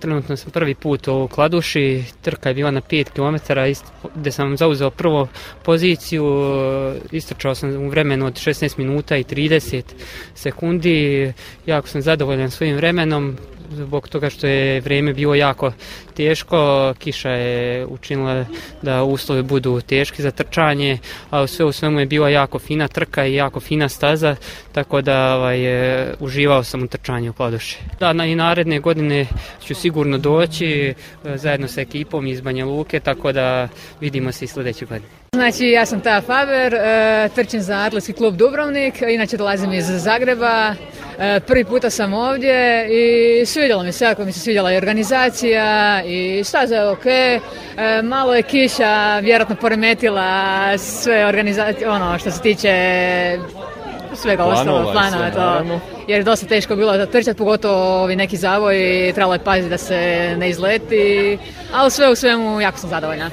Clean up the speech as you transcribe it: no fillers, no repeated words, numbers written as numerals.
Trenutno sam prvi put u Kladuši, trka je bila na 5 km, gdje sam zauzeo prvu poziciju, istrčao sam u vremenu od 16 minuta i 30 sekundi, jako sam zadovoljan svojim vremenom, zbog toga što je vrijeme bilo jako teško, kiša je učinila da uslovi budu teški za trčanje, a sve u svemu je bila jako fina trka i jako fina staza, tako da uživao sam u trčanju u Kladuši. Da, i naredne godine ću sigurno doći zajedno sa ekipom iz Banja Luke, tako da vidimo se i sljedeće godine. Znači, ja sam Taja Faber, trčim za Atletski klub Dubrovnik, inače dolazim iz Zagreba. Prvi puta sam ovdje i svidjelo mi se, jako mi se svidjela i organizacija i staza je ok. Malo je kiša vjerojatno poremetila sve organizacije, ono što se tiče svega ostalog planova, to, jer je dosta teško bilo trčati, pogotovo ovi neki zavoj, trebalo je paziti da se ne izleti, ali sve u svemu jako sam zadovoljna.